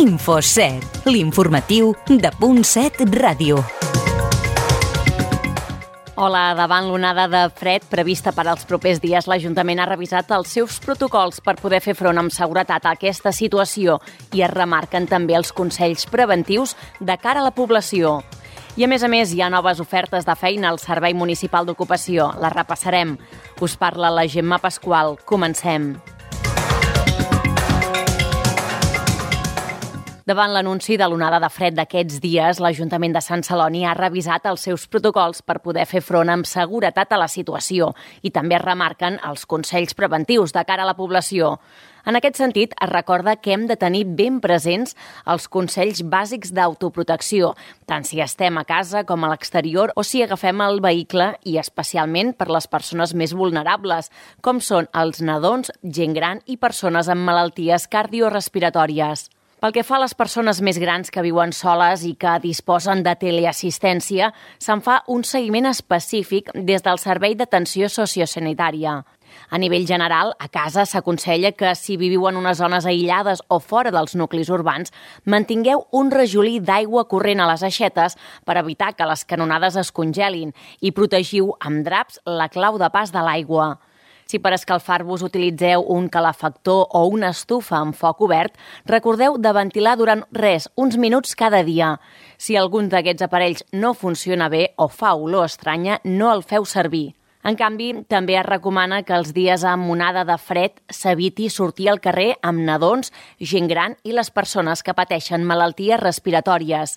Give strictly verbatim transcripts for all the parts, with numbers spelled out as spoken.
InfoSet, l'informatiu de Punt set Ràdio. Hola, davant l'onada de fred prevista per als propers dies, l'Ajuntament ha revisat els seus protocols per poder fer front amb seguretat a aquesta situació i es remarquen també els consells preventius de cara a la població. I a més a més hi ha noves ofertes de feina al Servei Municipal d'Ocupació. Les repassarem. Us parla la Gemma Pasqual. Comencem. Davant l'anunci de l'onada de fred d'aquests dies, l'Ajuntament de Sant Celoni ha revisat els seus protocols per poder fer front amb seguretat a la situació i també es remarquen els consells preventius de cara a la població. En aquest sentit, es recorda que hem de tenir ben presents els consells bàsics d'autoprotecció, tant si estem a casa com a l'exterior o si agafem el vehicle i especialment per les persones més vulnerables, com són els nadons, gent gran i persones amb malalties cardiorespiratòries. Pel que fa a les persones més grans que viuen soles i que disposen de teleassistència, se'n fa un seguiment específic des del Servei d'Atenció Sociosanitària. A nivell general, a casa s'aconsella que si viviu en unes zones aïllades o fora dels nuclis urbans, mantingueu un rajolí d'aigua corrent a les aixetes per evitar que les canonades es congelin i protegiu amb draps la clau de pas de l'aigua. Si per escalfar-vos utilitzeu un calefactor o una estufa amb foc obert, recordeu de ventilar durant res, uns minuts cada dia. Si algun d'aquests aparells no funciona bé o fa olor estranya, no el feu servir. En canvi, també es recomana que els dies amb onada de fred s'eviti sortir al carrer amb nadons, gent gran i les persones que pateixen malalties respiratòries.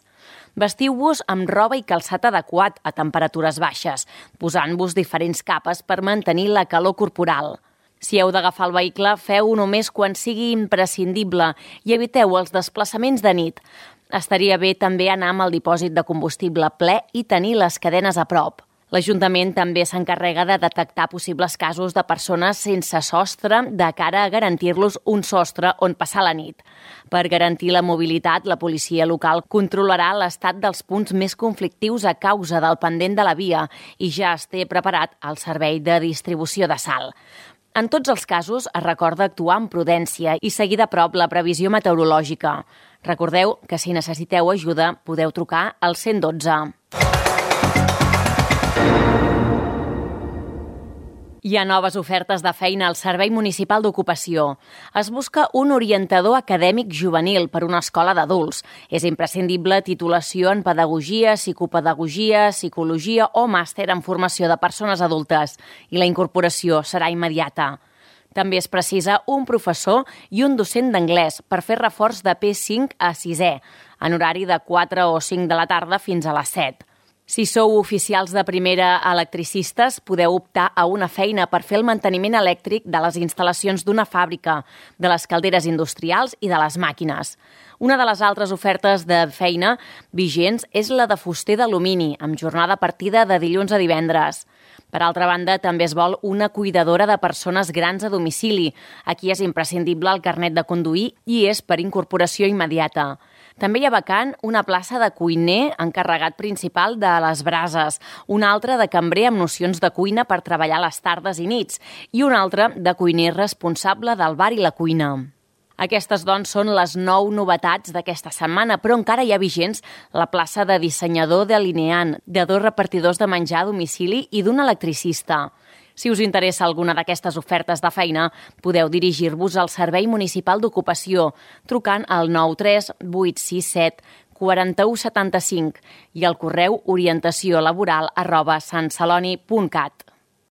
Vestiu-vos amb roba i calçat adequat a temperatures baixes, posant-vos diferents capes per mantenir la calor corporal. Si heu d'agafar el vehicle, feu-ho només quan sigui imprescindible i eviteu els desplaçaments de nit. Estaria bé també anar amb el dipòsit de combustible ple i tenir les cadenes a prop. L'Ajuntament també s'encarrega de detectar possibles casos de persones sense sostre de cara a garantir-los un sostre on passar la nit. Per garantir la mobilitat, la policia local controlarà l'estat dels punts més conflictius a causa del pendent de la via i ja es té preparat el servei de distribució de sal. En tots els casos es recorda actuar amb prudència i seguir de prop la previsió meteorològica. Recordeu que si necessiteu ajuda podeu trucar al cent dotze. Hi ha noves ofertes de feina al Servei Municipal d'Ocupació. Es busca un orientador acadèmic juvenil per una escola d'adults. És imprescindible titulació en pedagogia, psicopedagogia, psicologia o màster en formació de persones adultes i la incorporació serà immediata. També es precisa un professor i un docent d'anglès per fer reforç de P cinc a sisè, en horari de quatre o cinc de la tarda fins a les set. Si sou oficials de primera electricistes, podeu optar a una feina per fer el manteniment elèctric de les instal·lacions d'una fàbrica, de les calderes industrials i de les màquines. Una de les altres ofertes de feina vigents és la de fuster d'alumini, amb jornada partida de dilluns a divendres. Per altra banda, també es vol una cuidadora de persones grans a domicili. Aquí és imprescindible el carnet de conduir i és per incorporació immediata. També hi ha vacant una plaça de cuiner encarregat principal de les brases, una altra de cambrer amb nocions de cuina per treballar les tardes i nits i una altra de cuiner responsable del bar i la cuina. Aquestes, doncs, són les nou novetats d'aquesta setmana, però encara hi ha vigents la plaça de dissenyador delineant, de dos repartidors de menjar a domicili i d'un electricista. Si us interessa alguna d'aquestes ofertes de feina, podeu dirigir-vos al Servei Municipal d'Ocupació trucant al nou tres vuit sis set quatre u setanta cinc i al correu orientació laboral arroba santceloni punt cat.